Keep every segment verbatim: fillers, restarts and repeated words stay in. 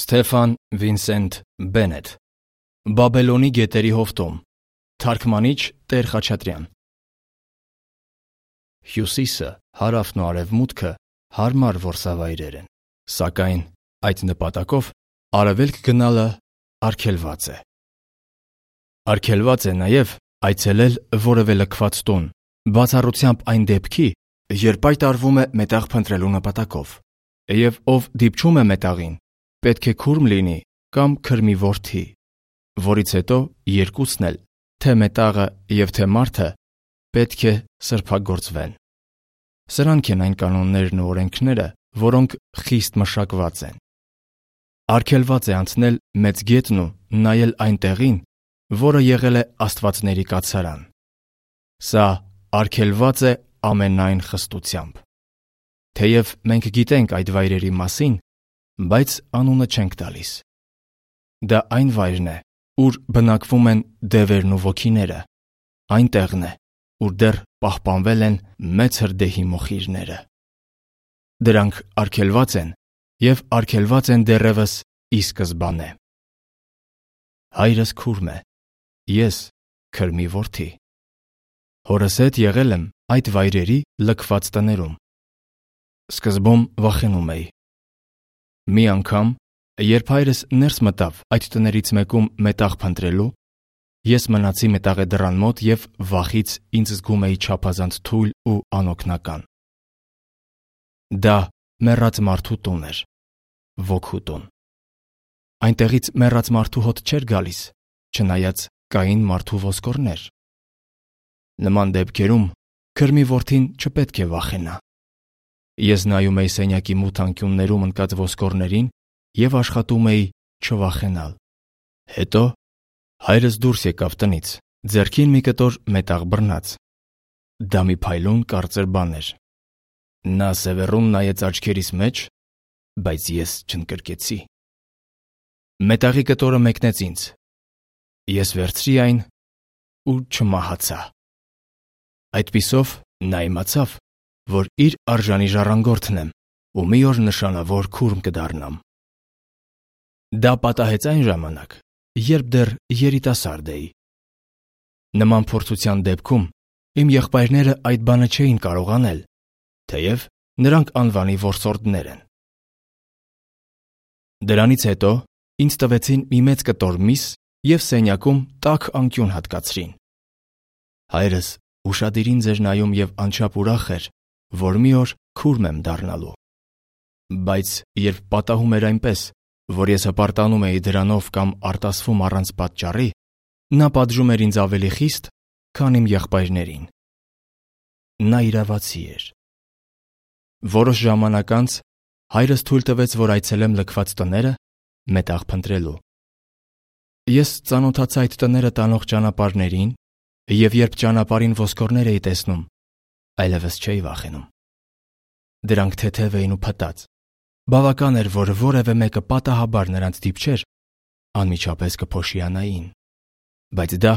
Ստեֆան Վինսենտ Բենետ Բաբելոնի գետերի հովտում Թարգմանիչ Տեր Խաչատրյան Հյուսիսը, հարավն ու արևմուտքը հարմար որսավայրեր են, սակայն այդ նպատակով արևելք գնալը արգելված է։ Արգելված է նաև այցելել որևէ լքված տուն, բացառությամբ այն դեպքի, երբ այդ արվում է մետաղ փնտրելու նպատակով, և ով դիպչում է մետաղին, պետք է քուրմ լինի կամ քրմի որդի, որից հետո երկուսն էլ, թե մետաղը և թե մարդը, պետք է սրբագործվեն։ Սրանք են այն կանոններն ու օրենքները, որոնք խիստ մշակված են։ Արգելված է անցնել մեծ գետն ու նայել այն տեղին, որը եղել է աստվածների կացարան։ Սա արգելված է ամենայն խստությամբ։ Թեև մենք գիտենք այդ վայրերի մասին, բայց անունը չենք տալիս։ Դա այն վայրն է, ուր բնակվում են դևերն ու ոգիները, այն տեղն է, ուր դեռ պահպանվել են մեծ հրդեհի մոխիրները։ Դրանք արգելված են և արգելված են դեռևս ի սկզբանե։ Հայրս քուրմ է, ես քրմի որդի։ Հորս հետ եղել եմ այդ վայրերի լքված տներում։ Սկզբում վախենում էի։ Մի անգամ, երբ հայրս ներս մտավ այդ տներից մեկում մետաղ փնտրելու, ես մնացի մետաղե դռան մոտ և վախից ինձ զգում էի չափազանց թույլ ու անօգնական։ Դա մեռած մարդու տուն էր, ոգու տուն։ Այնտեղից մեռած մարդու հոտ չէր գալիս, չնայած կային մարդու ոսկորներ։ Նման դեպքերում քրմի որդին չպետք է վախենա։ Ես նայում էի սենյակի մութ անկյուններում ընկած ոսկորներին և աշխատում էի չվախենալ։ Հետո հայրս դուրս եկավ տնից, ձեռքին մի կտոր մետաղ բռնած։ Դա մի փայլուն կարծր բան էր։ Նա սևեռուն նայեց աչքերիս մեջ, բայց ես չընկրկեցի։ Մետաղի կտորը մեկնեց ինձ։ Ես վերցրի այն ու չմահացա։ Այդպիսով նա իմացավ, որ իր արժանի ժառանգորդն եմ ու մի օր նշանավոր քուրմ կդառնամ։ Դա պատահեց այն ժամանակ, երբ դեռ երիտասարդ էի։ Նման փորձության դեպքում իմ եղբայրները այդ բանը չէին կարող անել, թեև նրանք անվանի որսորդներ են։ Դրանից հետո ինձ տվեցին մի մեծ կտոր միս և սենյակում տաք անկյուն հատկացրին։ Հայրս ուշադիր ինձ էր նայում և անչափ ուրախ էր, որ մի օր քուրմ եմ դառնալու։ Բայց երբ պատահում էր այնպես, որ ես հպարտանում էի դրանով կամ արտասվում առանց պատճառի, նա պատժում էր ինձ ավելի խիստ, քան իմ եղբայրներին։ Նա իրավացի էր։ Որոշ ժամանակ անց հայրս թույլ տվեց, որ այցելեմ լքված տները մետաղ փնտրելու։ Ես ծանոթացա այդ տները տանող ճանապարհներին, և երբ ճանապարհին ոսկորներ էի տեսնում, այլևս չէի վախենում։ Դրանք թեթև էին ու փտած։ Բավական էր, որ որևէ մեկը պատահաբար նրանց դիպչեր, անմիջապես կփոշիանային, բայց դա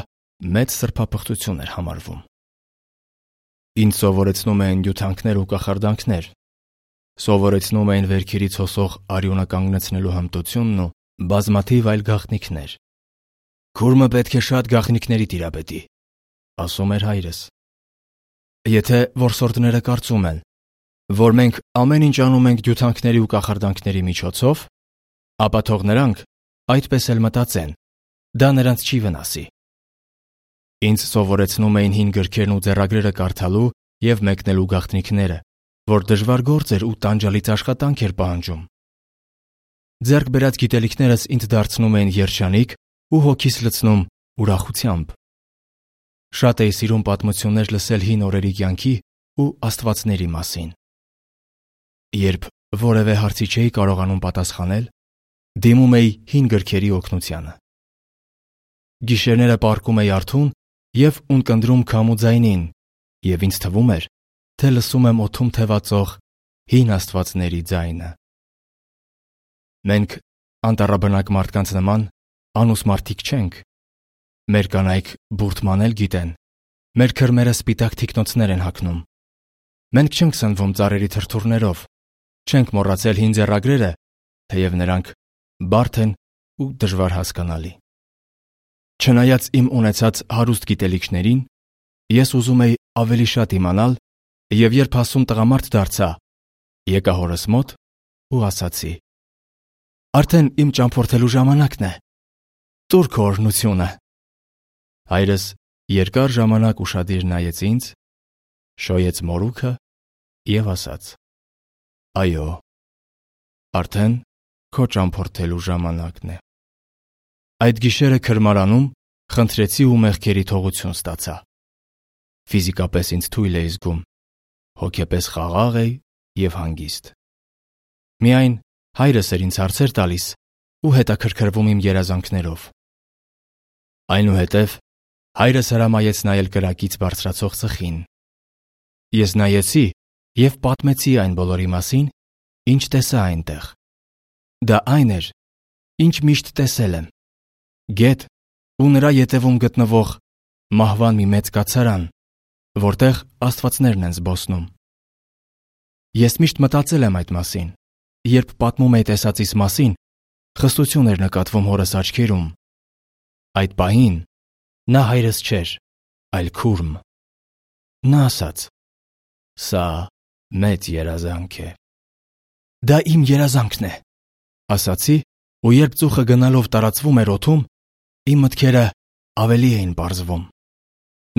մեծ սրբապղծություն էր համարվում։ Ինձ սովորեցնում էին յութանքներ ու կախարդանքներ, սովորեցնում էին վերքերից հոսող արյունը կանգնեցնելու հմտությունն ու բազմաթիվ այլ գաղտնիքներ։ Քուրմը պետք է շատ գաղտնիքների տիրապետի, ասում էր հայրս։ Եթե որսորդները կարծում են, որ մենք ամեն ինչ անում ենք յութանքների ու կախարդանքների միջոցով, ապա թող նրանք այդպես էլ մտածեն, դա նրանց չի վնասի։ Ինձ սովորեցնում էին հին գրքերն ու ձեռագրերը կարդալու և մեկնելու գաղտնիքները, որ դժվար գործ էր ու տանջալից աշխատանք էր պահանջում։ Ձեռք բերած գիտելիքներս ինձ դարձնում էին երջանիկ ու հոգիս լցնում ուրախությամբ։ Շատ էի սիրում պատմություններ լսել հին օրերի կյանքի ու աստվածների մասին։ Երբ որևէ հարցի չէի կարողանում պատասխանել, դիմում էի հին գրքերի օգնությանը։ Գիշերները պառկում էի արթուն և ունկնդրում քամու ձայնին, և ինձ թվում էր, թե լսում եմ օդում թևածող հին աստվածների ձայնը։ Մենք անտառաբնակ մարդկանց նման անուս մարդիկ չենք։ Մեր կանայք բուրդ մանել գիտեն, մեր քրմերը սպիտակ թիկնոցներ են հագնում։ Մենք չենք սնվում ծառերի թրթուրներով, չենք մոռացել հին ձեռագրերը, թեև նրանք բարդ են ու դժվար հասկանալի։ Չնայած իմ ունեցած հարուստ գիտելիքներին, ես ուզում էի ավելի շատ իմանալ և երբ հասուն տղամարդ դարձա, եկա հորս մոտ ու ասացի. «Արդեն իմ ճամփորդելու ժամանակն է, տուր քո օրհնությունը»։ Հայրս երկար ժամանակ ուշադիր նայեց ինձ, շոյեց մորուքը և ասաց. «Այո, արդեն քո ճամփորդելու ժամանակն է»։ Այդ գիշերը քրմարանում խնդրեցի ու մեղքերի թողություն ստացա։ Ֆիզիկապես ինձ թույլ էի զգում, հոգեպես խաղաղ էի և հանգիստ։ Միայն հայրս էր ինձ հարցեր տալիս ու հետաքրքրվում իմ երազանքներով։ Այնուհետև հայրս հրամայեց նայել կրակից բարձրացող ծխին։ Ես նայեցի և պատմեցի այն բոլորի մասին, ինչ տեսա այնտեղ։ Դա այն էր, ինչ միշտ տեսել եմ. գետ ու նրա ետևում գտնվող մահվան մի մեծ կացարան, որտեղ աստվածներն են զբոսնում։ Ես միշտ մտածել եմ այդ մասին, երբ պատմում էի տեսածիս մասին, խստություն էր նկատվում հորս աչքերում։ Այդ պահին նա հայրս չէր, այլ քուրմ։ Նա ասաց. «Սա մեծ երազանք է»։ «Դա իմ երազանքն է», ասացի, ու երբ ծուխը գնալով տարածվում էր օդում, իմ մտքերը ավելի էին պարզվում։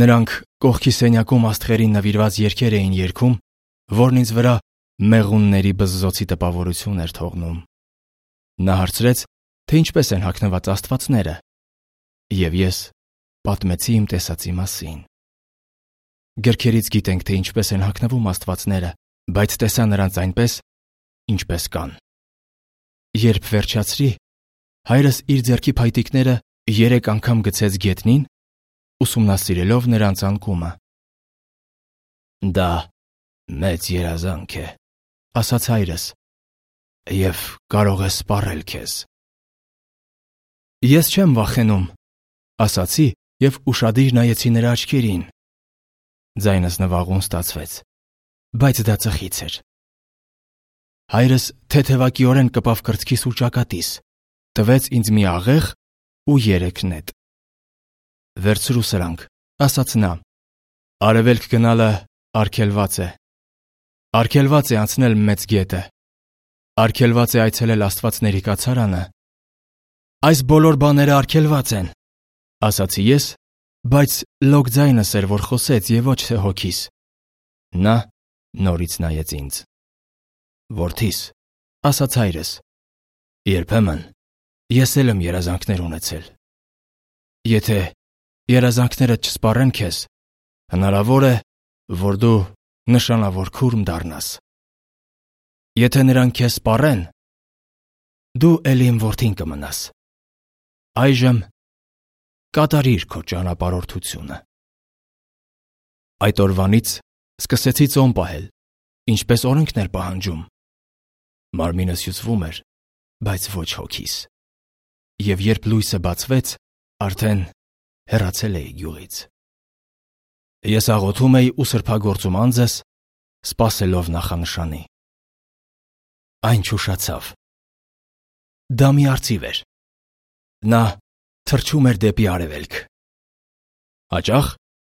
Նրանք կողքի սենյակում աստղերին նվիրված երգեր էին երգում, որն ինձ վրա մեղունների բզզոցի տպավորություն էր թողնում։ Նա հարցրեց, թե ինչպես են հագնված աստվածները, և ես պատմեցի իմ տեսածի մասին։ Գրքերից գիտենք, թե ինչպես են հագնվում աստվածները, բայց տեսա նրանց այնպես, ինչպես կան։ Երբ վերջացրի, հայրս իր ձեռքի փայտիկները երեք անգամ գցեց գետնին, ուսումնասիրելով նրանց անկումը։ «Դա մեծ երազանք է», ասաց հայրս, «և կարող է սպառել քեզ»։ «Ես չեմ վախենում», ասացի և ուշադիր նայեցի նրա աչքերին։ Ձայնս նվաղուն ստացվեց, բայց դա ծխից էր։ Հայրս թեթևակիորեն կպավ կրծքիս ու ճակատիս, տվեց ինձ մի աղեղ ու երեք նետ։ «Վերցրու սրանք», ասաց նա, «արևելք գնալը արգելված է։ Արգելված է անցնել մեծ գետը։ Արգելված է այցելել աստվածների կացարանը»։ «Այս բոլոր բաները արգելված են», ասացի ես, բայց լոկ ձայնս էր, որ խոսեց, և ոչ թե հոգիս։ Նա նորից նայեց ինձ։ «Որդիս», ասաց հայրս, «երբեմն ես էլ եմ երազանքներ ունեցել։ Եթե երազանքներդ չսպառեն քեզ, հնարավոր է, որ դու նշանավոր քուրմ դառնաս։ Եթե նրանք քեզ սպառեն, դու էլի իմ որդին կմնաս։ Այժմ կատարիր քո ճանապարհորդությունը»։ Այդ օրվանից սկսեցի ծոմ պահել, ինչպես օրենքն էր պահանջում։ Մարմինս հյուծվում էր, բայց ոչ հոգիս։ Եվ երբ լույսը բացվեց, արդեն հեռացել էի գյուղից։ Ես աղոթում էի ու սրբագործում անձս, սպասելով նախանշանի։ Այն չուշացավ։ Դա մի արծիվ էր։ Նա թռչում էր դեպի արևելք։ Հաճախ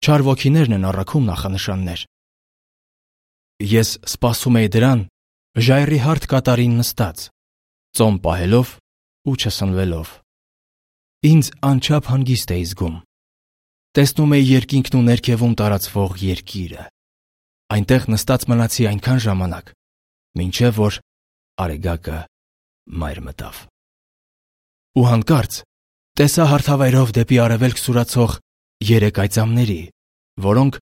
չար ոգիներն են առաքում նախանշաններ։ Ես սպասում էի դրան ժայռի հարթ կատարին նստած, ծոմ պահելով ու չսնվելով։ Ինձ անչափ հանգիստ էի զգում։ Տեսնում էի երկինքն ու ներքևում տարածվող երկիրը։ Այնտեղ նստած մնացի այնքան ժամանակ, մինչև որ արեգակը մայր մտավ։ Ու հանկարծ տեսա հարթավայրով դեպի արևելք սուրացող երեք այծամների, որոնք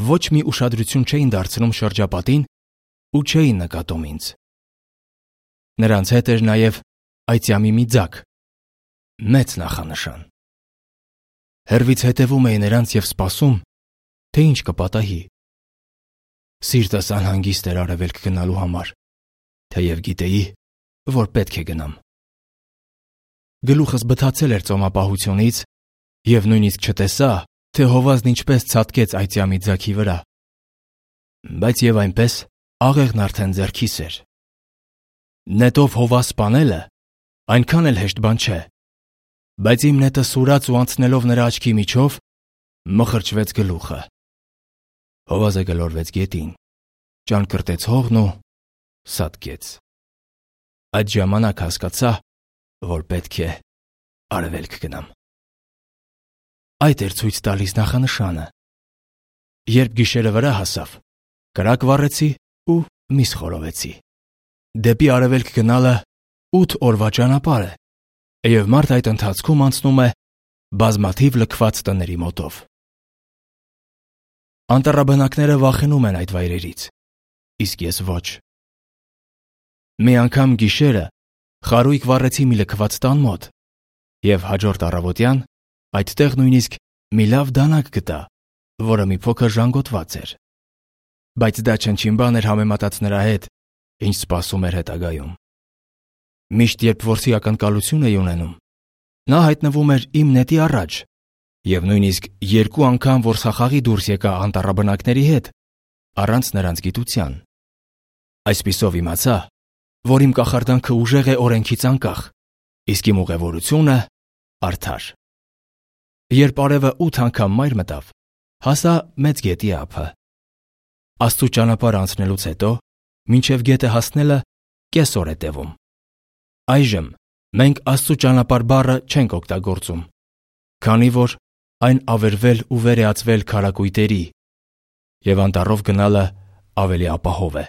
ոչ մի ուշադրություն չէին դարձնում շրջապատին ու չէին նկատում ինձ։ Նրանց հետ էր նաև այծյամի մի ձագ, մեծ նախանշան։ Հեռվից հետևում էի նրանց և սպասում, թե ինչ կպատահի։ Սիրտս անհանգիստ էր արևելք գնալու համար, թեև գիտեի, որ պետք է գնամ։ Գլուխս բթացել էր ծոմապահությունից և նույնիսկ չտեսա, թե հովազն ինչպես ցատկեց այծյամի ձագի վրա։ Բայց և այնպես աղեղն արդեն ձեռքիս էր։ Նետով հովազ սպանելը այնքան էլ հեշտ բան չէ։ Բայց իմ նետը սուրաց ու անցնելով նրա աչքի միջով մխրճվեց գլուխը։ Հովազը գլորվեց գետին, ճանկրտեց հողն ու սատկեց։ Այդ ժամանակ հասկացա, որ պետք է արևելք գնամ։ Այդ էր ցույց տալիս նախանշանը։ Երբ գիշերը վրա հասավ, կրակ վառեցի ու միս խորովեցի։ Դեպի արևելք գնալը ութ օրվա ճանապարհ է, եւ մարդ այդ ընթացքում անցնում է բազմաթիվ լքված տների մոտով։ Անտառաբնակները վախենում են այդ վայրերից, իսկ ես ոչ։ Մի անգամ գիշերը խարույկ վառեցի մի լքված տան մոտ, եւ հաջորդ առավոտյան այդտեղ նույնիսկ մի լավ դանակ գտա, որը մի փոքր ժանգոտված էր։ Բայց դա չնչին բան էր համեմատած նրա հետ, ինչ սպասում էր հետագայում։ Միշտ երբ որսի ակնկալություն էի ունենում, նա հայտնվում էր իմ նետի առաջ, եւ նույնիսկ երկու անգամ որսախաղի դուրս եկա անտառաբնակների հետ, առանց նրանց գիտության։ Այսպիսով իմացա, որ իմ կախարդանքը ուժեղ է օրենքից անկախ, իսկ իմ ուղևորությունը արդար։ Երբ արևը ութ անգամ մայր մտավ, հասա մեծ գետի ափը։ Աստծու ճանապարհ անցնելուց հետո, մինչև գետը հասնելը կեսօր է տևում։ Այժմ մենք Աստծու ճանապարհ բառը չենք օգտագործում, քանի որ այն ավերվել ու վերեացվել քարակույտերի, եւ անտառով գնալը ավելի ապահով է։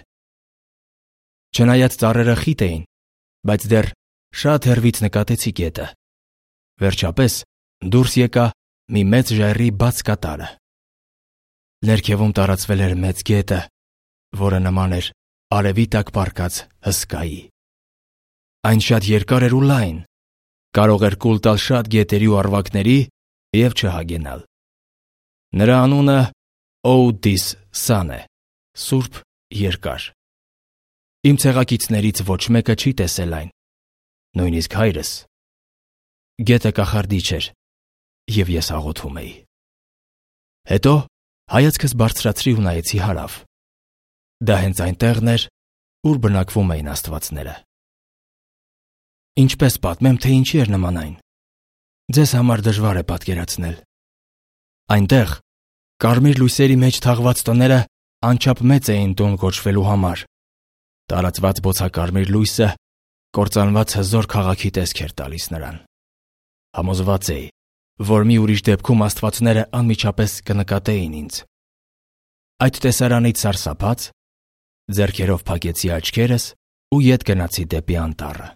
Չնայած ծառերը խիտ էին, բայց դեռ շատ հեռվից նկատեցի գետը։ Վերջապես դուրս եկա մի մեծ ժայռի բաց կատարը։ Ներքևում տարածվել էր մեծ գետը, որը նման էր արևի տակ պառկած հսկայի։ Այն շատ երկար էր ու լայն, կարող էր կուլ տալ շատ գետերի ու առվակների եւ չհագենալ։ Նրա անունը Օուդիս Սան է, Սուրբ Երկար։ Իմ ցեղակիցներից ոչ մեկը չի տեսել այն, նույնիսկ հայրս։ Գետը կախարդիչ էր, եւ ես աղոթում էի։ Հետո հայացքս բարձրացրի ու նայեցի հարավ։ Դա հենց այն տեղն էր, ուր բնակվում էին աստվածները։ Ինչպես պատմեմ, թե ինչի էր նման այն։ Ձեզ համար դժվար է պատկերացնել։ Այնտեղ կարմիր լույսերի մեջ թաղված տները անչափ մեծ էին տուն կոչվելու համար։ Տարածված բոցակարմիր լույսը կործանված հզոր քաղաքի տեսք էր տալիս նրան։ Համոզված էի, որ մի ուրիշ դեպքում աստվածները անմիջապես կնկատեին ինձ։ Այդ տեսարանից սարսափած, ձեռքերով փակեցի աչքերս ու ետ գնացի դեպի անտառը։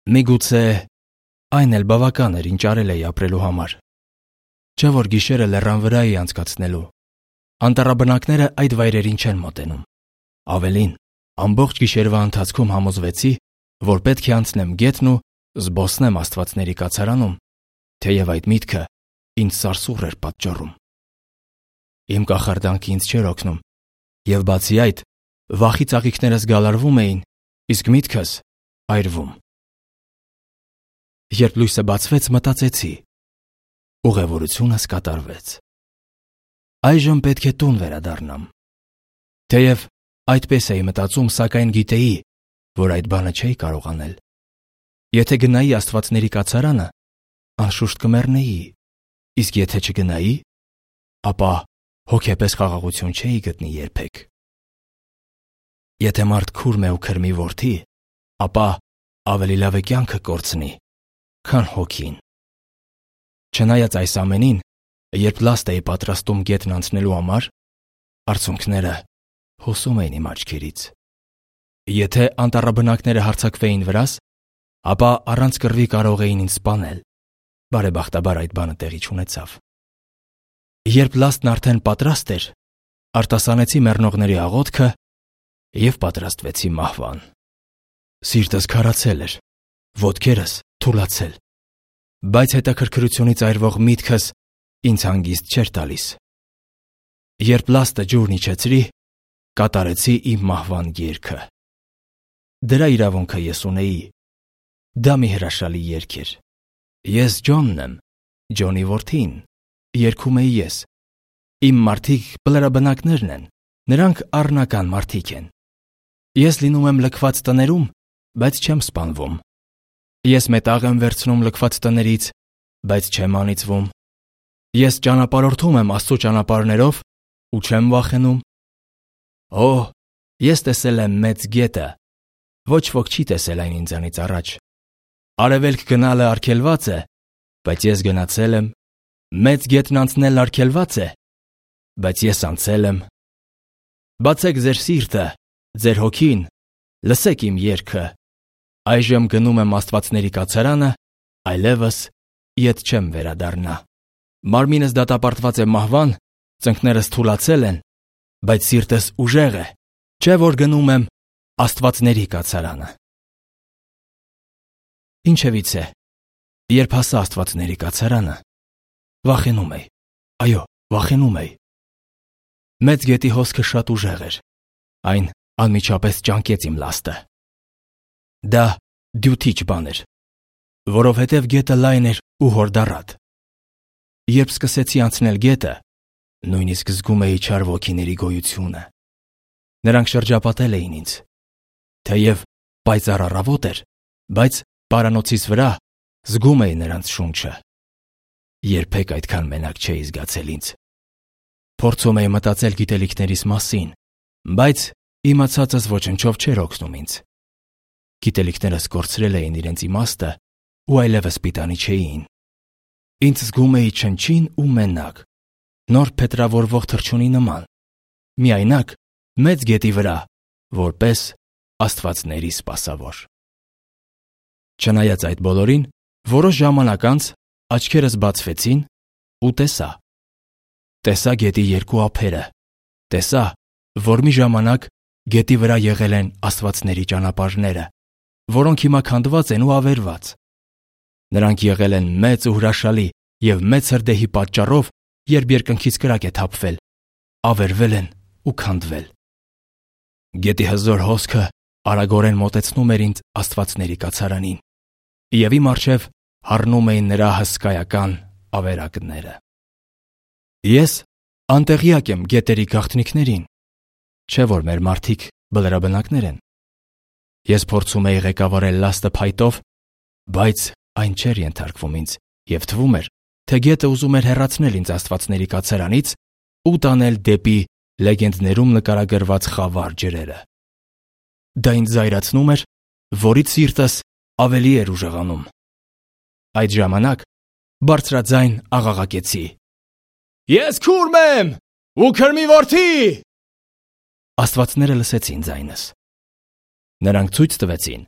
Միգուցե այն էլ բավական էր, ինչ արել էի ապրելու համար։ Չէ՞ որ գիշերը լեռան վրա էի անցկացնելու։ Անտառաբնակները այդ վայրերին չեն մոտենում։ Ավելին, ամբողջ գիշերվա ընթացքում համոզվեցի, որ պետք է անցնեմ գետն ու զբոսնեմ աստվածների կացարանում, թեև այդ միտքը ինձ սարսուռ էր պատճառում։ Իմ կախարդանքը ինձ չէր օգնում, եւ բացի այդ, վախի ծաղիկներս գալարվում էին, իսկ միտքս այրվում։ Երբ լույսը բացվեց, մտածեցի. ուղևորությունս կատարվեց։ Այժմ պետք է տուն վերադառնամ։ Թեև այդպես էի մտածում, սակայն գիտեի, որ այդ բանը չէի կարող անել։ Եթե գնայի աստվածների կացարանը, անշուշտ կմեռնեի, իսկ եթե չգնայի, ապա հոգեպես խաղաղություն չէի գտնի երբեք։ Եթե մարդ քուրմ է ու քրմի որդի, ապա ավելի լավ է կյանքը կորցնի, քան հոգին։ Չնայած այս ամենին, երբ լաստ էի պատրաստում գետն անցնելու համար, արցունքները հոսում էին իմ աչքերից։ Եթե անտառաբնակները հարձակվեին վրաս, ապա առանց կռվի կարող էին ինձ սպանել։ Բարեբախտաբար այդ բանը տեղի չունեցավ։ Երբ լաստն արդեն պատրաստ էր, արտասանեցի մեռնողների աղոթքը եւ պատրաստվեցի մահվան։ Սիրտս քարացել էր, ոտքերս թուլացել, բայց հետաքրքրությունից այրվող միտքս ինձ հանգիստ չէր տալիս։ Երբ լաստը ջուրն իջեցրի, կատարեցի իմ մահվան երգը։ Դրա իրավունքը ես ունեի։ Դա մի հրաշալի երգ էր։ Ես Ջոնն եմ, Ջոնի որդին, երգում էի ես։ Իմ մարդիկ բլրաբնակներն են, նրանք առնական մարդիկ են։ Ես լինում եմ լքված տներում, բայց չեմ սպանվում, Ես մետաղ եմ վերցնում լքված տներից, բայց չեմ անիծվում։ Ես ճանապարհորդում եմ Աստծո ճանապարհներով ու չեմ վախենում։ Օ, ես տեսել եմ մեծ գետը, ոչ ոք չի տեսել այն ինձանից առաջ։ Արևելք գնալը արգելված է, բայց ես գնացել եմ։ Մեծ գետն անցնելն արգելված է, բայց ես անցել եմ։ Բացեք ձեր սիրտը, ձեր հոգին, լսեք իմ երգը։ Այժմ գնում եմ աստվածների կացարանը, այլևս ետ չեմ վերադառնա։ Մարմինս դատապարտված է մահվան, ծնկներս թուլացել են, բայց սիրտս ուժեղ է, չէ որ գնում եմ աստվածների կացարանը։ Ինչևիցե, երբ հասա աստվածների կացարանը, վախենում էի, այո, վախենում էի։ Մեծ գետի հոսքը շատ ուժեղ էր, այն անմիջապես ճանկեց իմ լաստը։ Դա դյութիչ բան էր, որովհետև գետը լայն էր ու հորդառատ։ Երբ սկսեցի անցնել գետը, նույնիսկ զգում էի չար ոգիների գոյությունը։ Նրանք շրջապատել էին ինձ, թեև պայծառ առավոտ էր, բայց պարանոցիս վրա զգում էի նրանց շունչը։ Երբեք այդքան մենակ չէի զգացել ինձ։ Փորձում էի մտածել գիտելիքներիս մասին, բայց իմացածս ոչնչով չէր օգնում ինձ։ Գիտելիքներս կորցրել էին իրենց իմաստը ու այլևս պիտանի չէին։ Ինձ զգում էի չնչին ու մենակ, նոր փետրավորվող թռչունի նման, միայնակ մեծ գետի վրա, որպես աստվածների սպասավոր։ Չնայած այդ բոլորին, որոշ ժամանակ անց աչքերս բացվեցին ու տեսա։ Տեսա գետի երկու ափերը, տեսա, որ մի ժամանակ գետի վրա եղել են աստվածների ճանապարհները, որոնք հիմա քանդված են ու ավերված։ Նրանք եղել են մեծ ու հրաշալի և մեծ հրդեհի պատճառով, երբ երկնքից կրակ է թափվել, ավերվել են ու քանդվել։ Գետի հզոր հոսքը արագորեն մոտեցնում էր ինձ աստվածների կացարանին, և իմ առջև հառնում էին նրա հսկայական ավերակները։ Ես անտեղյակ եմ գետերի գաղտնիքներին, չէ որ մեր մարդիկ բլրաբնակներ են։ Ես փորձում էի ղեկավարել լաստը փայտով, բայց այն չէր ենթարկվում ինձ, և թվում էր, թե գետը ուզում էր հեռացնել ինձ աստվածների կացարանից ու տանել դեպի լեգենդներում նկարագրված խավար ջրերը։ Դա ինձ զայրացնում էր, որից սիրտս ավելի էր ուժեղանում։ Այդ ժամանակ բարձրաձայն աղաղակեցի. «Ես քուրմ եմ ու քրմի որդի»։ Աստվածները լսեցին ձայնս։ Նրանք ցույց տվեցին,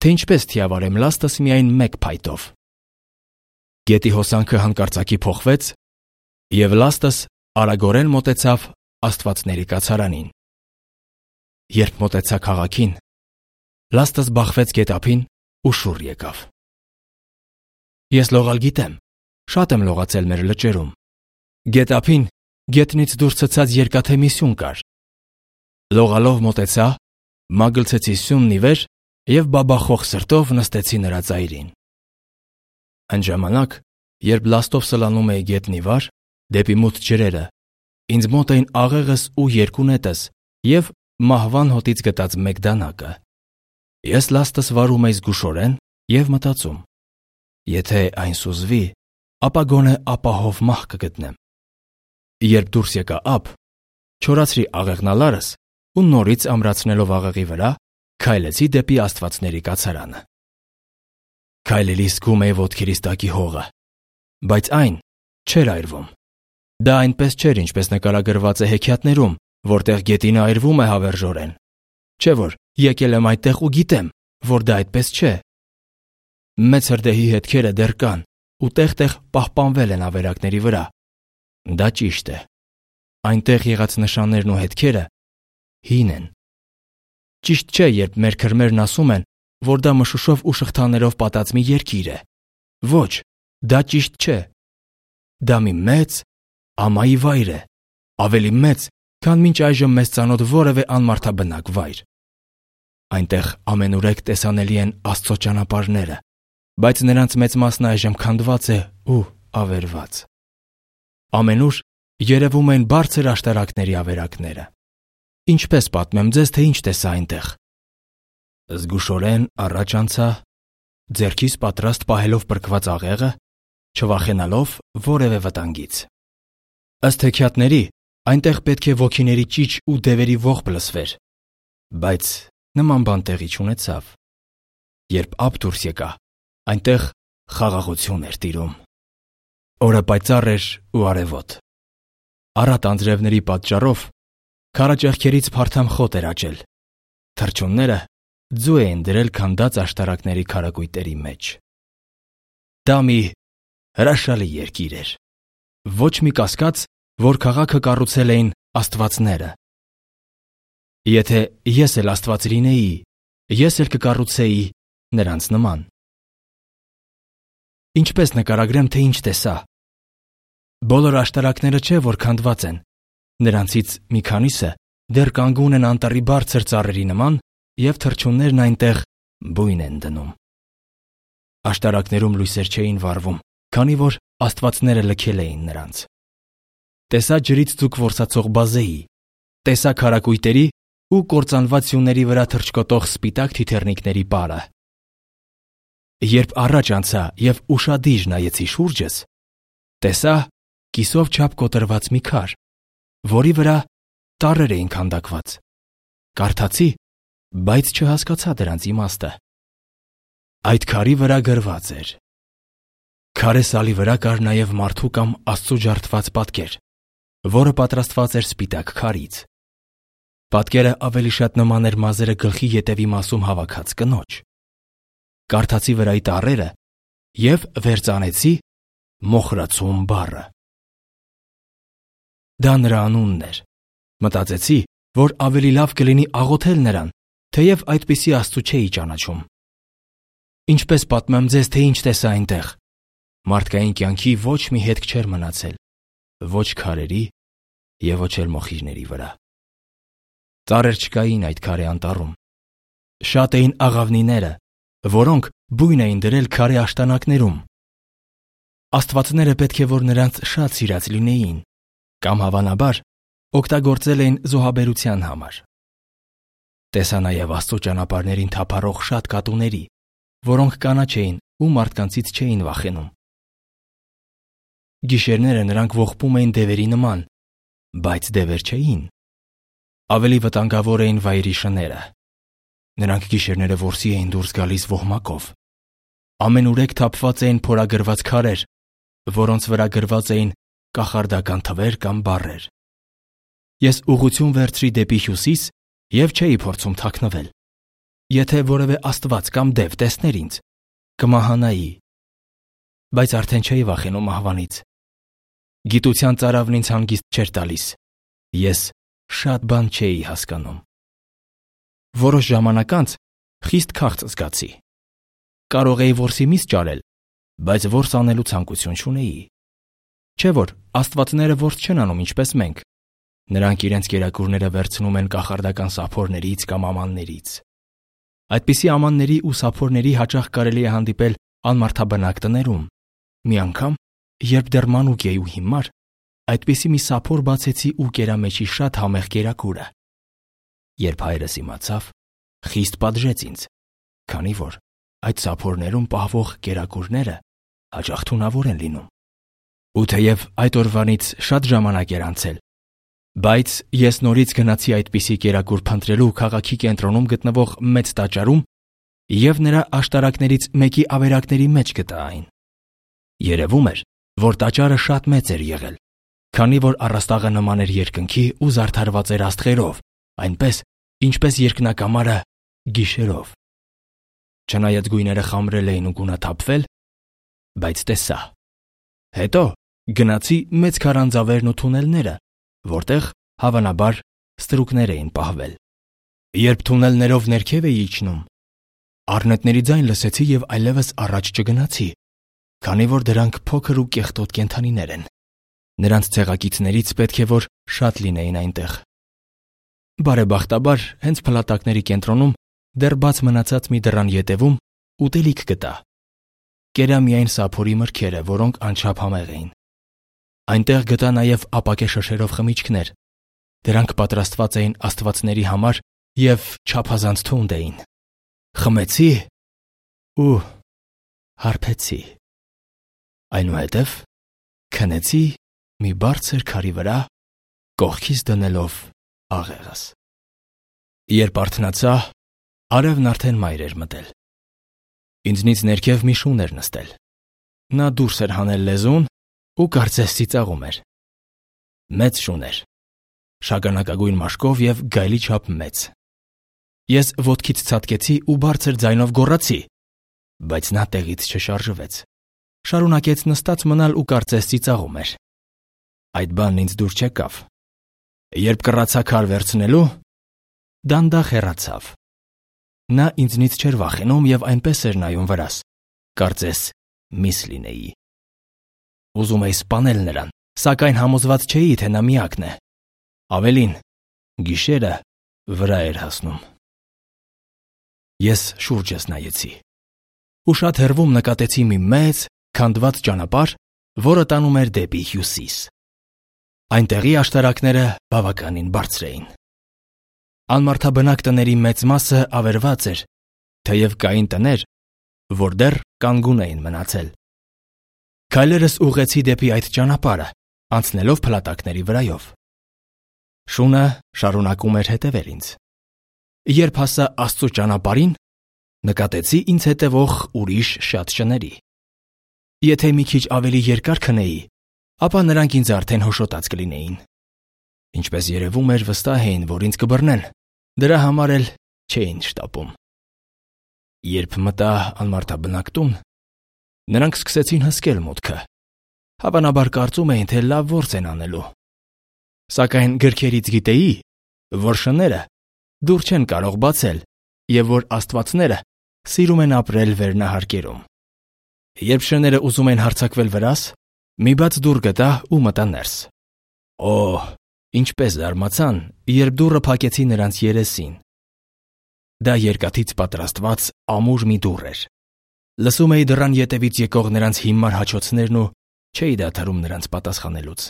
թե ինչպես թիավարեմ լաստս միայն մեկ փայտով։ Գետի հոսանքը հանկարծակի փոխվեց, և լաստս արագորեն մոտեցավ աստվածների կացարանին։ Երբ մոտեցա քաղաքին, լաստս բախվեց գետափին ու շուռ եկավ։ Ես լողալ գիտեմ, շատ եմ լողացել մեր լճերում։ Գետափին գետնից դուրս ցցած երկաթե մի սյուն կար։ Լողալով մոտեցա, մագլցեցի սյունն ի վեր և բաբախող սրտով նստեցի նրա ծայրին։ Այն ժամանակ, երբ լաստով սլանում էի գետնի վար, դեպի մութ ջրերը, ինձ մոտ էին աղեղս ու երկու նետս և մահվան հոտից գտած մեկ դանակը։ Ես լաստս վարում էի զգուշորեն և մտածում. եթե այն սուզվի, ապա գոնե ապահով մահ կգտնեմ։ Երբ դուրս եկա ափ, չորացրի աղեղնալարս ու նորից ամրացնելով աղեղի վրա, քայլեցի դեպի աստվածների կացարանը։ Քայլելիս զգում էի ոտքերիս տակի հողը, բայց այն չէր այրվում։ Դա այնպես չէր, ինչպես նկարագրված է հեքիաթներում, որտեղ գետինը այրվում է հավերժորեն։ Չէ որ եկել եմ այդտեղ ու գիտեմ, որ դա այդպես չէ։ Մեծ հրդեհի հետքերը դեռ կան ու տեղ-տեղ պահպանվել են ավերակների վրա։ Դա ճիշտ է։ Այնտեղ եղած նշաններն ու հետքերը հին են։ Ճիշտ չէ, երբ մեր քրմերն ասում են, որ դա մշուշով ու շղթաներով պատած մի երկիր է։ Ոչ, դա ճիշտ չէ։ Դա մի մեծ ամայի վայր է, ավելի մեծ, քան մինչ այժմ մեզ ծանոթ որևէ անմարդաբնակ վայր։ Այնտեղ ամենուրեք տեսանելի են Աստծո ճանապարհները, բայց նրանց մեծ մասն այժմ քանդված է ու ավերված։ Ամենուր երևում են բարձր աշտարակների ավերակները։ Ինչպես պատմեմ ձեզ, թե ինչ տեսա այնտեղ։ Զգուշորեն առաջ անցա, ձեռքիս պատրաստ պահելով պրկված աղեղը, չվախենալով որևէ վտանգից։ Ըստ հեքիաթների, այնտեղ պետք է ոգիների ճիչ ու դևերի ողբ լսվեր, բայց նման բան տեղի չունեցավ։ Երբ ափ դուրս եկա, այնտեղ խաղաղություն էր տիրում։ Օրը պայծառ էր ու արևոտ։ Առատ անձրևների պատճառով քարաճեղքերից փարթամ խոտ էր աճել։ Թռչունները ձու էին դրել քանդած աշտարակների քարակույտերի մեջ։ Դա մի հրաշալի երկիր էր։ Ոչ մի կասկած, որ քաղաքը կառուցել էին աստվածները։ Եթե ես էլ աստված լինեի, ես էլ կկառուցեի նրանց նման։ Ինչպես նկարագրեմ, թե ինչ տեսա։ Բոլոր աշտարակները չէ, որ քանդված են։ Նրանցից մի քանիսը դեռ կանգուն են անտառի բարձր ծառերի նման, և թռչուններն այնտեղ բույն են դնում։ Աշտարակներում լույսեր չէին վառվում, քանի որ աստվածները լքել էին նրանց։ Տեսա ջրից ձուկ որսացող բազեի, տեսա քարակույտերի ու կործանված սյուների վրա թռչկոտող սպիտակ թիթեռնիկների պարը։ Երբ առաջ անցա և ուշադիր նայեցի շուրջս, տեսա կիսով չափ կոտրված մի քար, որի վրա տառեր էին քանդակված։ Կարդացի, բայց չհասկացա դրանց իմաստը։ Այդ քարի վրա գրված էր. քարե սալի վրա կար նաև մարդու կամ Աստծու ջարդված պատկեր, որը պատրաստված էր սպիտակ քարից։ Պատկերը ավելի շատ նման էր մազերը գլխի ետևի մասում հավաքած կնոջ։ Կարդացի վրայի տառերը և վերծանեցի Մոխրացում բառը։ Դա նրա անունն էր։ Մտածեցի, որ ավելի լավ կլինի աղոթել նրան, թեև այդպիսի Աստծու չէի ճանաչում։ Ինչպես պատմեմ ձեզ, թե ինչ տեսա այնտեղ։ Մարդկային կյանքի ոչ մի հետք չէր մնացել, ոչ քարերի և ոչ էլ մոխիրների վրա։ Ծառեր չկային այդ քարե անտառում։ Շատ էին աղավնիները, որոնք բույն էին դրել քարե աշտանակներում։ Աստվածները պետք է որ նրանց շատ սիրած լինեին, կամ հավանաբար օգտագործել էին զոհաբերության համար։ Տեսա նաև Աստծու ճանապարհներին թափառող շատ կատուների, որոնք կանաչ էին ու մարդկանցից չէին վախենում։ Գիշերները նրանք ողբում էին դևերի նման, բայց դևեր չէին։ Ավելի վտանգավոր էին վայրի շները։ Նրանք գիշերները որսի էին դուրս գալիս ոհմակով։ Ամենուրեք թափված էին փորագրված քարեր, որոնց վրա գրված էին կախարդական թվեր կամ բառեր։ Ես ուղղություն վերցրի դեպի հյուսիս և չէի փորձում թաքնվել։ Եթե որևէ աստված կամ դև տեսներ ինձ, կմահանայի։ Բայց արդեն չէի վախենում մահվանից։ Գիտության ծարավն ինձ հանգիստ չէր տալիս։ Ես շատ բան չէի հասկանում։ Որոշ ժամանակ անց խիստ քաղց զգացի։ Կարող էի որսի միս ճարել, բայց որս անելու ցանկություն չունեի։ Չէ՞ որ աստվածները որս չեն անում ինչպես մենք։ Նրանք իրենց կերակուրները վերցնում են կախարդական սափորներից կամ ամաններից։ Այդպիսի ամանների ու սափորների հաճախ կարելի է հանդիպել անմարդաբնակ տներում։ Մի անգամ, երբ դեռ մանուկ էի ու հիմար, այդպիսի մի սափոր բացեցի ու կերա մեջի շատ համեղ կերակուրը։ Երբ հայրս իմացավ, խիստ պատժեց ինձ, քանի որ այդ սափորներում պահվող կերակուրները հաճախ թունավոր են լինում։ Ու թեև այդ օրվանից շատ ժամանակ էր անցել, բայց ես նորից գնացի այդպիսի կերակուր փնտրելու քաղաքի կենտրոնում գտնվող մեծ տաճարում և նրա աշտարակներից մեկի ավերակների մեջ գտա այն։ Երևում էր, որ տաճարը շատ մեծ էր եղել, քանի որ առաստաղը նման էր երկնքի ու զարդարված էր աստղերով, այնպես, ինչպես երկնակամարը գիշերով։ Չնայած գույները խամրել էին ու գունաթափվել, բայց տեսա։ Հետո գնացի մեծ քարանձավերն ու թունելները, որտեղ, հավանաբար, ստրուկներ էին պահվել։ Երբ թունելներով ներքև էի իջնում, առնետների ձայն լսեցի և այլևս առաջ չգնացի, քանի որ դրանք փոքր ու կեղտոտ կենդանիներ են։ Նրանց ցեղակիցներից պետք է որ շատ լինեին այնտեղ։ Բարեբախտաբար, հենց փլատակների կենտրոնում դեռ բաց մնացած մի դռան ետևում ուտելիք գտա։ Կերա միայն սափորի մրգերը, որոնք անչափ համեղ էին։ Այնտեղ գտա նաև ապակե շշերով խմիչքներ։ Դրանք պատրաստված էին աստվածների համար և չափազանց թունդ էին։ Խմեցի ու հարբեցի։ Այնուհետև քնեցի մի բարձր քարի վրա, կողքիս դնելով աղեղս։ Երբ արթնացա, արևն արդեն մայր էր մտել։ Ինձնից ներքև մի շուն էր նստել։ Նա դուրս էր հանել լեզուն ու կարծես ծիծաղում էր։ Մեծ շուն էր, շագանակագույն մաշկով և գայլի չափ մեծ։ Ես ոտքից ցատկեցի ու բարձր ձայնով գոռացի, բայց նա տեղից չշարժվեց։ Շարունակեց նստած մնալ ու կարծես ծիծաղում էր։ Այդ բանն ինձ դուր չեկավ։ Երբ կռացա քար վերցնելու, դանդաղ հեռացավ։ Նա ինձնից չէր վախենում և այնպես էր նայում վրաս, կարծես միս լինեի։ Ուզում էի սպանել նրան, սակայն համոզված չէի, թե նա միակն է։ Ավելին, գիշերը վրա էր հասնում։ Ես շուրջս նայեցի ու շատ հեռվում նկատեցի մի մեծ, քանդված ճանապարհ, որը տանում էր դեպի հյուսիս։ Այնտեղի աշտարակները բավականին բարձր էին։ Անմարդաբնակ տների մեծ մասը ավերված էր, թեև կային տներ, որ դեռ կանգուն էին մնացել։ Քայլերս ուղղեցի դեպի այդ ճանապարհը, անցնելով փլատակների վրայով։ Շունը շարունակում էր հետևել ինձ։ Երբ հասա Աստծո ճանապարհին, նկատեցի ինձ հետևող ուրիշ շատ շների։ Եթե մի քիչ ավելի երկար քնեի, ապա նրանք ինձ արդեն հոշոտած կլինեին։ Ինչպես երևում էր, վստահ էին, որ ինձ կբռնեն, դրա համար էլ չէին շտապում։ Երբ մտա անմարդաբնակ տուն, նրանք սկսեցին հսկել մուտքը։ Հավանաբար կարծում էին, թե լավ որս են անելու։ Սակայն գրքերից գիտեի, որ շները դուր չեն կարող բացել և որ աստվածները սիրում են ապրել վերնահարկերում։ Երբ շները ուզում են հարձակվել վրաս, մի բաց դուռ գտա ու մտա ներս։ Օ, ինչպես զարմացան, երբ դուռը փակեցի նրանց երեսին։ Դա երկաթից պատրաստված ամուր մի դուռ էր։ Լսում էի դռան ետևից եկող նրանց հիմար հաչոցներն ու չէի դադարում նրանց պատասխանելուց։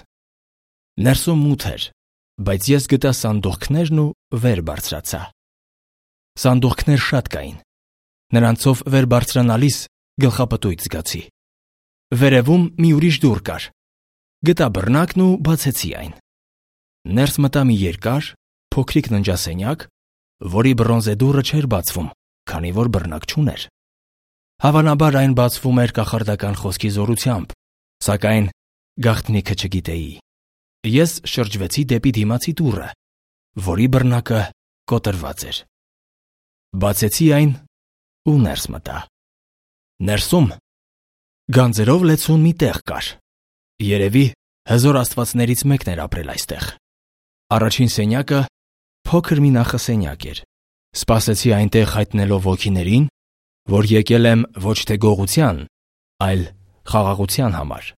Ներսում մութ էր, բայց ես գտա սանդուղքներն ու վեր բարձրացա։ Սանդուղքներ շատ կային։ Նրանցով վեր բարձրանալիս գլխապտույտ զգացի։ Վերևում մի ուրիշ դուռ կար։ Գտա բռնակն ու բացեցի այն։ Ներս մտա մի երկար, փոքրիկ ննջասենյակ, որի բրոնզե դուռը չէր բացվում, քանի որ բռնակ չուներ։ Հավանաբար այն բացվում էր կախարդական խոսքի զորությամբ, սակայն գաղտնիքը չգիտեի։ Ես շրջվեցի դեպի դիմացի դուռը, որի բռնակը կոտրված էր։ Բացեցի այն ու ներս մտա։ Ներսում գանձերով լեցուն մի տեղ կար։ Երևի հզոր աստվածներից մեկն էր ապրել այստեղ։ Առաջին սենյակը փոքր մի նախասենյակ էր։ Սպասեցի այնտեղ հայտնելով ոգիներին, որ եկել եմ ոչ թե գողության, այլ խաղաղության համար։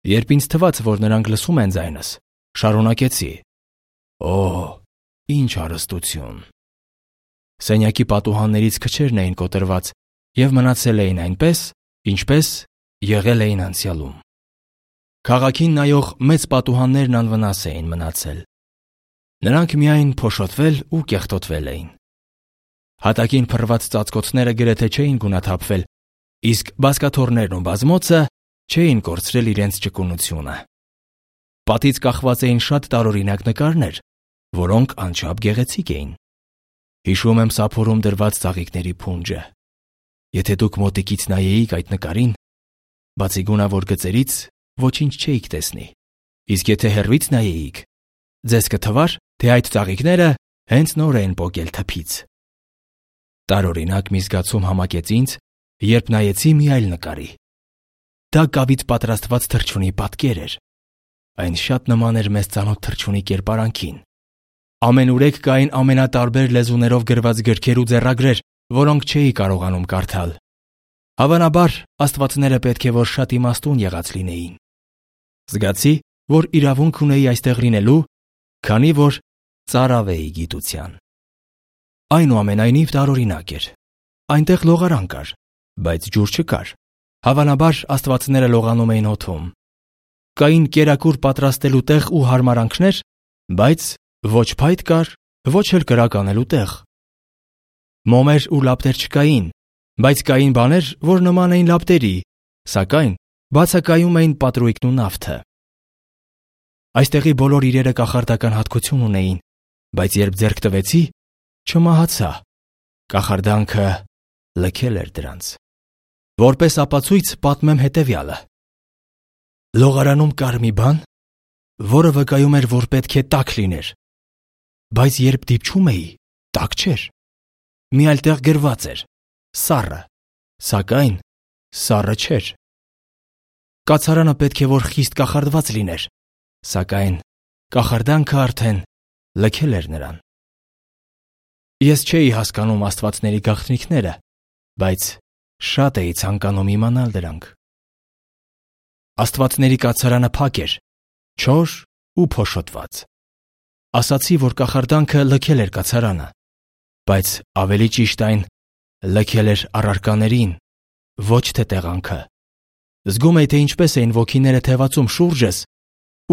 Երբ ինձ թվաց, որ նրանք լսում են ձայնս, շարունակեցի. Օ, ինչ հարստություն։ Սենյակի պատուհաններից քչերն էին կոտրված և մնացել էին այնպես, ինչպես եղել էին անցյալում։ Քաղաքին նայող մեծ պատուհաններն անվնաս էին մնացել։ Նրանք միայն փոշոտվել ու կեղտոտվել էին։ Հատակին փռված ծածկոցները գրեթե չէին գունաթափվել, իսկ բազկաթոռներն ու բազմոցը չէին կորցրել իրենց ճկունությունը։ Պատից կախված էին շատ տարօրինակ նկարներ, որոնք անչափ գեղեցիկ էին։ Հիշում եմ սափորում դրված ծաղիկների փունջը։ Եթե դուք մոտիկից նայեիք այդ նկարին, բացի գունավոր գծերից, ոչինչ չէիք տեսնի, իսկ եթե հեռվից նայեիք, ձեզ կթվար, թե այդ ծաղիկները հենց նոր էին պոկել թփից։ Տարօրինակ մի զգացում համակեց ինձ, երբ նայեցի մի այլ նկարի։ Դա կավից պատրաստված թռչունի պատկեր էր։ Այն շատ նման էր մեզ ծանոթ թռչունի կերպարանքին։ Ամենուրեք կային ամենատարբեր լեզուներով գրված գրքեր ու ձեռագրեր, որոնք չէի կարողանում կարդալ։ Հավանաբար, աստվածները պետք է որ շատ իմաստուն եղած լինեին։ Զգացի, որ իրավունք ունեի այստեղ լինելու, քանի որ ծարավ էի գիտության։ Այնուամենայնիվ տարօրինակ էր։ Այնտեղ լողարան կար, բայց ջուր չկար։ Հավանաբար, աստվածները լողանում էին օդում։ Կային կերակուր պատրաստելու տեղ ու հարմարանքներ, բայց ոչ փայտ կար, ոչ էլ կրակ անելու տեղ։ Մոմեր ու լապտեր չկային, Բայց կային բաներ, որ նման էին լապտերի, սակայն բացակայում էին պատրույգն ու նավթը։ Այստեղի բոլոր իրերը կախարդական հատկություն ունեին, բայց երբ ձեռք տվեցի, չմահացա։ Կախարդանքը լքել էր դրանց։ Որպես ապացույց պատմեմ հետևյալը։ Լողարանում կար մի բան, որը վկայում էր, որ պետք է տաք լիներ, բայց երբ դիպչում էի, տաք չէր։ Մի այլ տեղ գրված էր. սառը, սակայն սառը չէր։ Կացարանը պետք է որ խիստ կախարդված լիներ, սակայն կախարդանքը արդեն լքել էր նրան։ Ես չէի հասկանում աստվածների գաղտնիքները, բայց շատ էի ցանկանում իմանալ դրանք։ Աստվածների կացարանը փակ էր, չոր ու փոշոտված։ Ասացի, որ կախարդանքը լքել էր կացարանը, բայց ավելի ճիշտ այն լքել էր առարկաներին, ոչ թե տեղանքը։ Զգում էի, թե ինչպես էին ոգիները թևածում շուրջս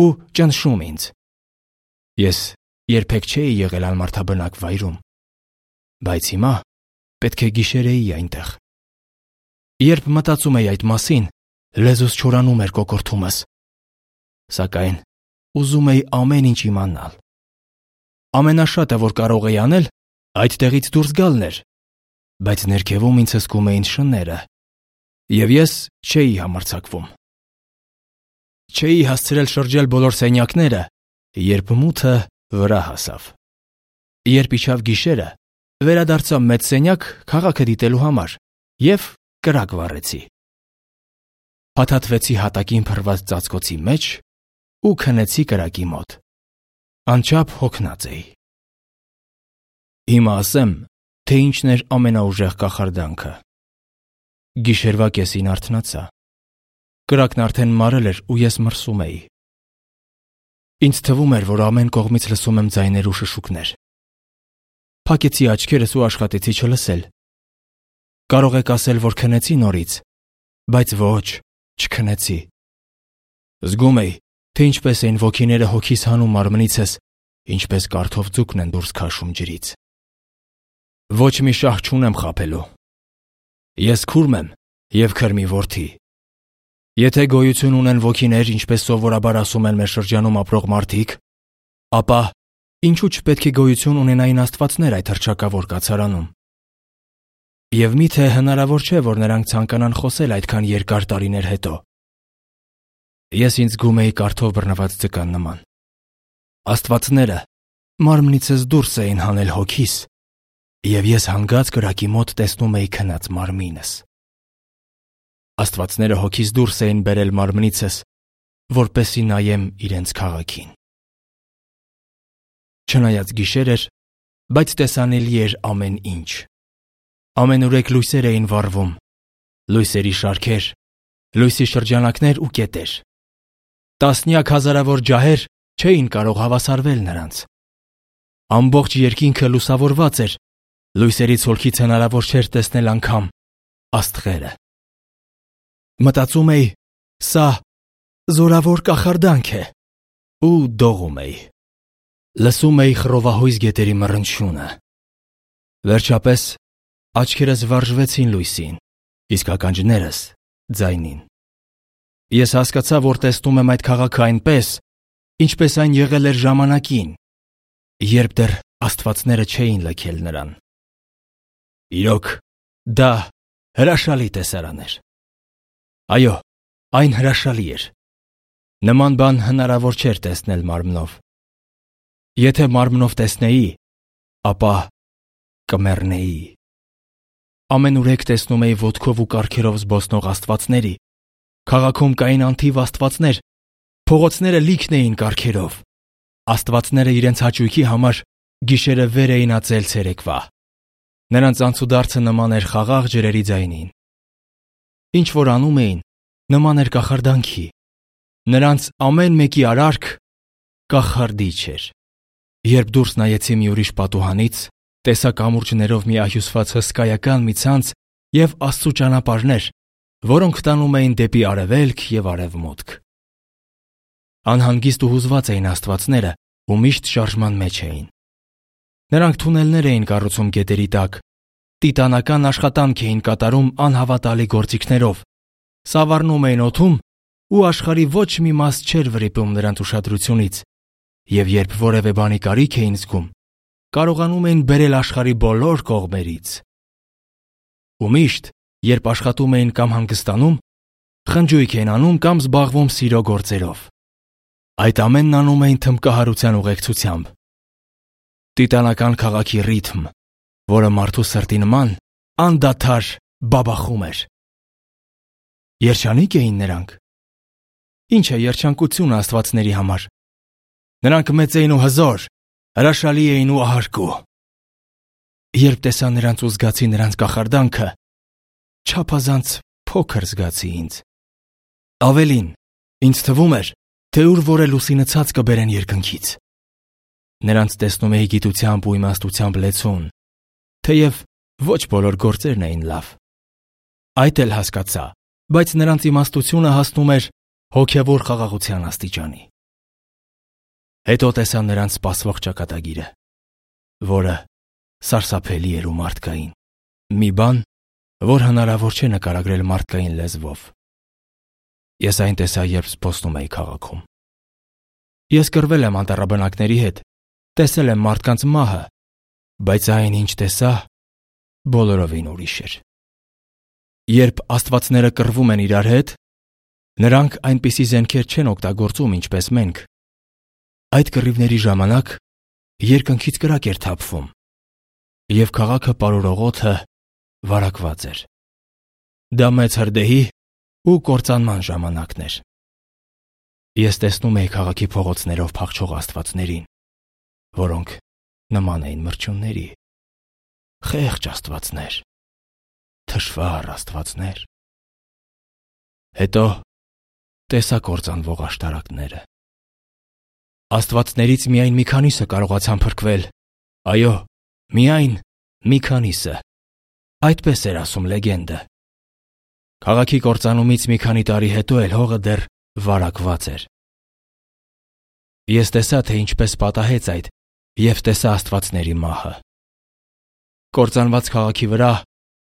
ու ճնշում ինձ։ Ես երբեք չէի եղել անմարդաբնակ վայրում, բայց հիմա պետք է գիշերեի այնտեղ։ Երբ մտածում էի այդ մասին, լեզուս չորանում էր կոկորդումս, սակայն ուզում էի ամեն ինչ իմանալ։ Ամենաշատը, որ կարող էի անել, այդ տեղից դուրս գալն էր, բայց ներքևում ինձ հսկում էին շները, և ես չէի համարձակվում։ Չէի հասցրել շրջել բոլոր սենյակները, երբ մութը վրա հասավ։ Երբ իջավ գիշերը, վերադարձա մեծ սենյակ քաղաքը դիտելու համար և կրակ վառեցի։ Փաթաթվեցի հատակին փռված ծածկոցի մեջ ու քնեցի կրակի մոտ։ Անչափ հոգնած էի։ Հիմա ասեմ, թե ինչն էր ամենաուժեղ կախարդանքը։ Գիշերվա կեսին արթնացա։ Կրակն արդեն մարել էր ու ես մրսում էի։ Ինձ թվում էր, որ ամեն կողմից լսում եմ ձայներ ու շշուկներ։ Փակեցի աչքերս ու աշխատեցի չլսել։ Կարող եք ասել, որ քնեցի նորից, բայց ոչ, չքնեցի։ Զգում էի, թե ինչպես էին ոգիները հոգիս հանում մարմնիցս, ինչպես կարթով ձուկն են դուրս քաշում ջրից։ Ոչ մի շահ չունեմ խաբելու։ Ես քուրմ եմ և քրմի որդի։ Եթե գոյություն ունեն ոգիներ, ինչպես սովորաբար ասում են մեր շրջանում ապրող մարդիկ, ապա ինչու չպետք է գոյություն ունենային աստվածներ այդ հռչակավոր կացարանում։ Եվ միթե հնարավոր չէ, որ նրանք ցանկանան խոսել այդքան երկար տարիներ հետո։ Ես ինձ զգում էի կարթով բռնված ձկան նման։ Աստվածները մարմնիցս դուրս էին հանել հոգիս, և ես հանգած կրակի մոտ տեսնում էի քնած մարմինս։ Աստվածները հոգիս դուրս էին բերել մարմնիցս, որպեսզի նայեմ իրենց քաղաքին։ Չնայած գիշեր էր, բայց տեսանելի էր ամեն ինչ։ Ամենուրեք լույսեր էին վառվում, լույսերի շարքեր, լույսի շրջանակներ ու կետեր։ Տասնյակ հազարավոր ջահեր չէին կարող հավասարվել նրանց։ Ամբողջ երկինքը լուսավորված էր, լույսերի ցոլքից հնարավոր չէր տեսնել անգամ աստղերը։ Մտածում էի, սա զորավոր կախարդանք է, ու դողում էի։ Լսում էի խռովահույզ գետերի մռնչյունը։ Վերջապես աչքերս վարժվեցին լույսին, իսկ ականջներս ձայնին։ Ես հասկացա, որ տեսնում եմ այդ քաղաքը այնպես, ինչպես այն եղել էր ժամանակին, երբ դեռ աստվածները չէին լքել նրան։ Իրոք, դա հրաշալի տեսարան էր։ Այո, այն հրաշալի էր։ Նման բան հնարավոր չէր տեսնել մարմնով։ Եթե մարմնով տեսնեի, ապա կմեռնեի։ Ամենուրեք տեսնում էի ոտքով ու կառքերով զբոսնող աստվածների։ Քաղաքում կային անթիվ աստվածներ, փողոցները լիքն էին կառքերով։ Աստվածները իրենց հաճույքի համար գիշերը վեր էին ածել ցերեկվա։ Նրանց անցուդարձը նման էր խաղաղ ջրերի ձայնին։ Ինչ որ անում էին, նման էր կախարդանքի։ Նրանց ամեն մեկի արարք կախարդիչ էր։ Երբ դուրս նայեցի մի ուրիշ պատուհանից, տեսա կամուրջներով մի ահյուսված հսկայական մի ցանց և Աստծու ճանապարհներ, որոնք տանում էին դեպի արևելք և արևմուտք։ Անհանգիստ ու հուզված էին աստվածները ու միշտ շարժման մեջ էին։ Նրանք թունելներ էին կառուցում գետերի տակ, տիտանական աշխատանք էին կատարում անհավատալի գործիքներով, սավառնում էին օդում ու աշխարհի ոչ մի մաս չէր վրիպում նրանց ուշադրությունից, և երբ որևէ բանի կարիք էին զգում, կարողանում էին բերել աշխարհի բոլոր կողմերից։ Ու միշտ, երբ աշխատում էին կամ հանգստանում, խնջույք էին անում կամ զբաղվում սիրո գործերով։ Այդ ամենն անում էին թմբկահարության ուղեկցությամբ։ Տիտանական քաղաքի ռիթմ, որը մարդու սրտի նման անդադար բաբախում էր։ Երջանիկ էին նրանք։ Ինչ է երջանկությունը աստվածների համար։ Նրանք մեծ էին ու հզոր, հրաշալի էին ու ահարկու։ Երբ տեսա նրանց ու զգացի նրանց կախարդանքը, չափազանց փոքր զգացի ինձ։ Ավելին, ինձ թվում էր, թե ուր որ է լուսինը ցած կբերեն երկնքից։ Նրանց տեսնում էի գիտությամբ ու իմաստությամբ լեցուն, թեև ոչ բոլոր գործերն էին լավ։ Այդ էլ հասկացա, բայց նրանց իմաստությունը հասնում էր հոգևոր խաղաղության աստիճանի։ Հետո տեսա նրանց սպասվող ճակատագիրը, որը սարսափելի էր ու մարդկային, մի բան, որ հնարավոր չէ նկարագրել մարդկային լեզվով։ Ես այն տեսա, երբ զբոսնում էի քաղաքում։ Ես կռվել եմ անտառաբնակների հետ, տեսել եմ մարդկանց մահը, բայց այն, ինչ տեսա, բոլորովին ուրիշ էր։ Երբ աստվածները կռվում են իրար հետ, նրանք այնպիսի զենքեր չեն օգտագործում, ինչպես մենք։ Այդ կռիվների ժամանակ երկնքից կրակ էր թափվում, և քաղաքը պարուրող օդը վարակված էր։ Դա մեծ հրդեհի ու կործանման ժամանակն էր։ Ես տեսնում էի քաղաքի փողոցներով փախչող աստվածներին, որոնք նման էին մրջյունների, խեղճ աստվածներ, թշվառ աստվածներ։ Հետո տեսա կործանվող աշտարակները։ Աստվածներից միայն մի քանիսը կարողացան փրկվել, այո, միայն մի քանիսը։ Այդպես էր ասում լեգենդը։ Քաղաքի կործանումից մի քանի տարի հետո էլ հողը դեռ վարակված էր։ Ես տեսա, թե ինչպես պատահեց այդ, և տեսա աստվածների մահը։ Կործանված քաղաքի վրա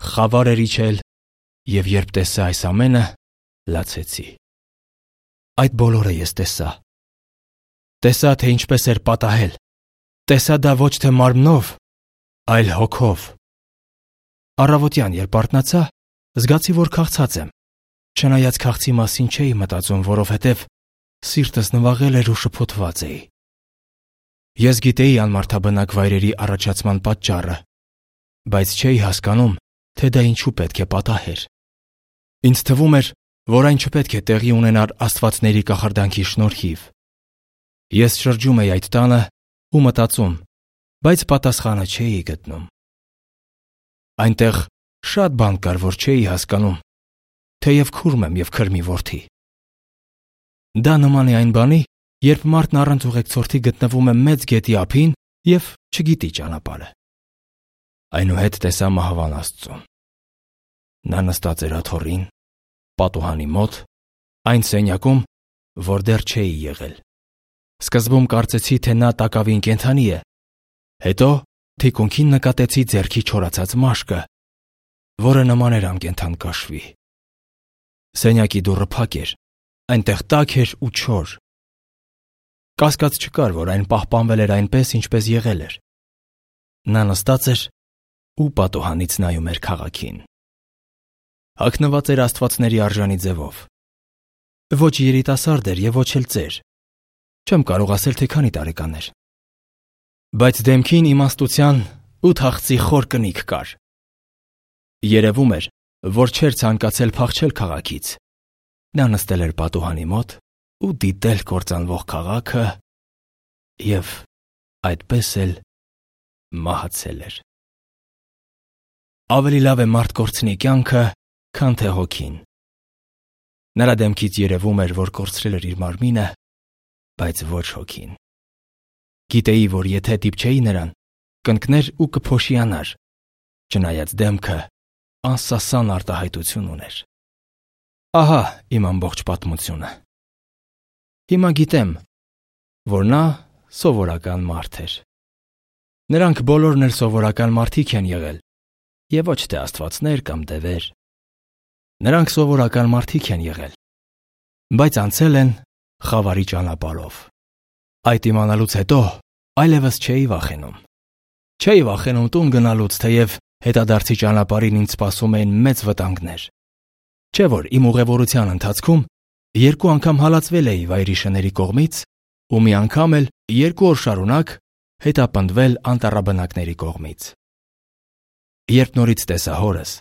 խավար էր իջել, և երբ տեսա այս ամենը, լացեցի։ Այդ բոլորը ես տեսա։ Տեսա, թե ինչպես էր պատահել։ Տեսա դա ոչ թե մարմնով, այլ հոգով։ Առավոտյան, երբ արթնացա, զգացի, որ քաղցած եմ, չնայած քաղցի մասին չէի մտածում, որովհետև սիրտս նվաղել էր ու շփոթված էի։ Ես գիտեի անմարդաբնակ վայրերի առաջացման պատճառը, բայց չէի հասկանում, թե դա ինչու պետք է պատահեր։ Ինձ թվում էր, որ այն չպետք է տեղի ունենար աստվածների կախարդանքի շնորհիվ։ Ես շրջում էի այդ տանը ու մտածում, բայց պատասխանը չէի գտնում։ Այնտեղ շատ բան կար, որ չէի հասկանում, թեև քուրմ եմ և քրմի որդի։ Դա նման է այն բանի, երբ մարդն առանց ուղեկցորդի գտնվում է մեծ գետի ափին և չգիտի ճանապարհը։ Այնուհետ տեսա մահվան Աստծուն։ Նա նստած էր աթոռին, պատուհանի մոտ, այն սենյակում, որ դեռ չէի եղել։ Սկզբում կարծեցի, թե նա տակավին կենդանի է, հետո թիկունքին նկատեցի ձեռքի չորացած մաշկը, որը նման էր անկենդան կաշվի։ Սենյակի դուռը փակ էր, այնտեղ տաք էր ու չոր։ Կասկած չկար, որ այն պահպանվել էր այնպես, ինչպես եղել էր։ Նա նստած էր ու պատուհանից նայում էր քաղաքին։ Հագնված էր աստվածների արժանի ձևով։ Ոչ երիտասարդ էր և ոչ էլ ծեր։ Չեմ կարող ասել, թե քանի տարեկան էր։ Բայց դեմքին իմաստության ու թախծի խոր կնիք կար։ Երևում էր, որ չէր ցանկացել փախչել քաղաքից։ Նա նստել էր պատուհանի մոտ ու դիտել կործանվող քաղաքը և այդպես էլ մահացել էր։ Ավելի լավ է մարդ կորցնի կյանքը, քան թե հոգին։ Նրա դեմքից երևում էր, որ կորցրել էր իր մարմինը, բայց ոչ հոգին։ Գիտեի, որ եթե դիպչեի նրան, կընկներ ու կփոշիանար, չնայած դեմքը անսասան արտահայտություն ուներ։ Ահա իմ ամբողջ պատմությունը։ Հիմա գիտեմ, որ նա սովորական մարդ էր։ Նրանք բոլորն էլ սովորական մարդիկ են եղել, եւ ոչ թե աստվածներ կամ դևեր։ Նրանք սովորական մարդիկ են եղել, բայց անցել են խավարի ճանապարհով։ Այդ իմանալուց հետո այլևս չէի վախենում։ Չէի վախենում տուն գնալուց, թեև հետադարձի ճանապարհին ինձ սպասում էին մեծ վտանգներ։ Չէ որ իմ ուղևորության ընթացքում երկու անգամ հալածվել էի վայրի շների կողմից ու մի անգամ էլ երկու օր շարունակ հետապնդվել անտառաբնակների կողմից։ Երբ նորից տեսա հորս,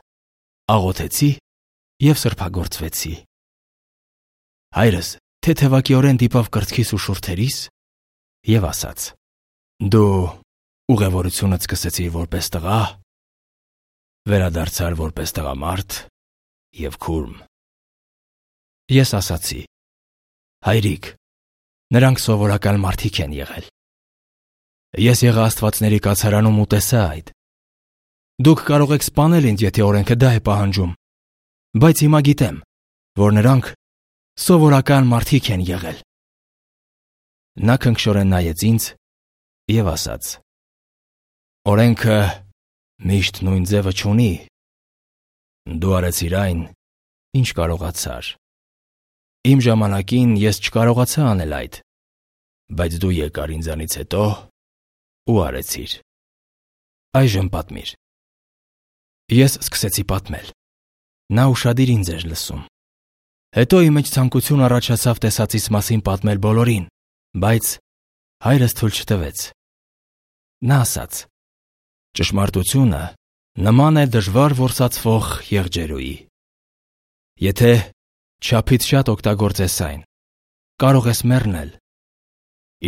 աղոթեցի և սրբագործվեցի։ Հայրս թեթևակիորեն դիպավ կրծքիս ու շուրթերիս և ասաց. «Դու ուղևորությունդ սկսեցիր որպես տղա, վերադարձար որպես տղամարդ և քուրմ»։ Ես ասացի. «Հայրիկ, նրանք սովորական մարդիկ են եղել։ Ես եղա աստվածների կացարանում ու տեսա այդ։ Դուք կարող եք սպանել ինձ, եթե օրենքը դա է պահանջում, բայց հիմա գիտեմ, որ նրանք սովորական մարդիկ են եղել»։ Նա քնքշորեն նայեց ինձ և ասաց. «Օրենքը միշտ նույն ձևը չունի։ Դու արեցիր այն, ինչ կարողացար։ Իմ ժամանակին ես չկարողացա անել այդ, բայց դու եկար ինձանից հետո ու արեցիր։ Այժմ պատմիր»։ Ես սկսեցի պատմել։ Նա ուշադիր ինձ էր լսում։ Հետո իմ մեջ ցանկություն առաջացավ տեսածիս մասին պատմել բոլորին, բայց հայրս թույլ չտվեց։ Նա ասաց. «Ճշմարտությունը նման է դժվար որսացվող եղջերուի։ Եթե չափից շատ օգտագործես այն, կարող ես մեռնել։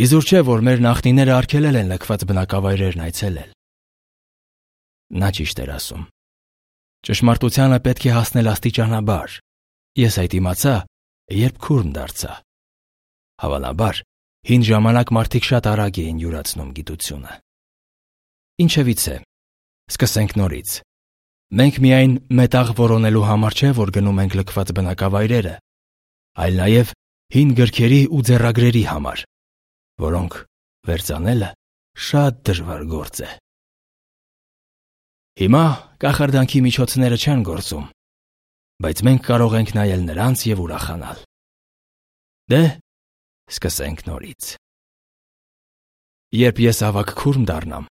Իզուր չէ, որ մեր նախնիները արգելել են լքված բնակավայրերն այցելել»։ Նա ճիշտ էր ասում։ Ճշմարտությանը պետք է հասնել աստիճանաբար։ Ես այդ իմացա, երբ քուրմ դարձա։ Հավանաբար, հին ժամանակ մարդիկ շատ արագ էին յուրացնում գիտությունը։ Ինչևիցե, սկսենք նորից։ Մենք միայն մետաղ որոնելու համար չէ, որ գնում ենք լքված բնակավայրերը, այլ նաև հին գրքերի ու ձեռագրերի համար, որոնք վերծանելը շատ դժվար գործ է։ Հիմա կախարդանքի միջոցները չեն գործում, բայց մենք կարող ենք նայել նրանց և ուրախանալ։ Դե, սկսենք նորից։ Երբ ես ավագ քուրմ դառնամ,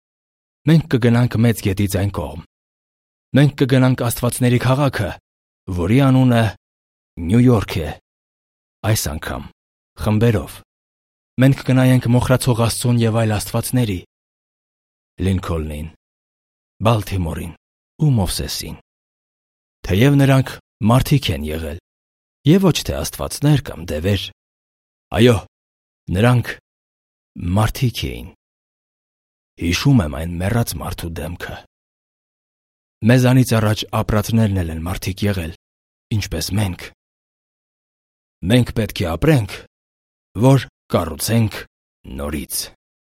մենք կգնանք մեծ գետից այն կողմ։ Մենք կգնանք աստվածների քաղաքը, որի անունը Նյու Յորք է։ Այս անգամ խմբերով։ Մենք կնայենք մոխրացող Աստծուն և այլ աստվածների, Լինքոլնին, Բալթիմորին ու Մովսեսին։ Թեև նրանք մարդիկ են եղել, և ոչ թե աստվածներ կամ դևեր։ Այո, նրանք մարդիկ էին։ Հիշում եմ այն մեռած մարդու դեմքը։ Մեզանից առաջ ապրածներն էլ են մարդիկ եղել, ինչպես մենք։ Մենք պետք է ապրենք, որ կառուցենք նորից։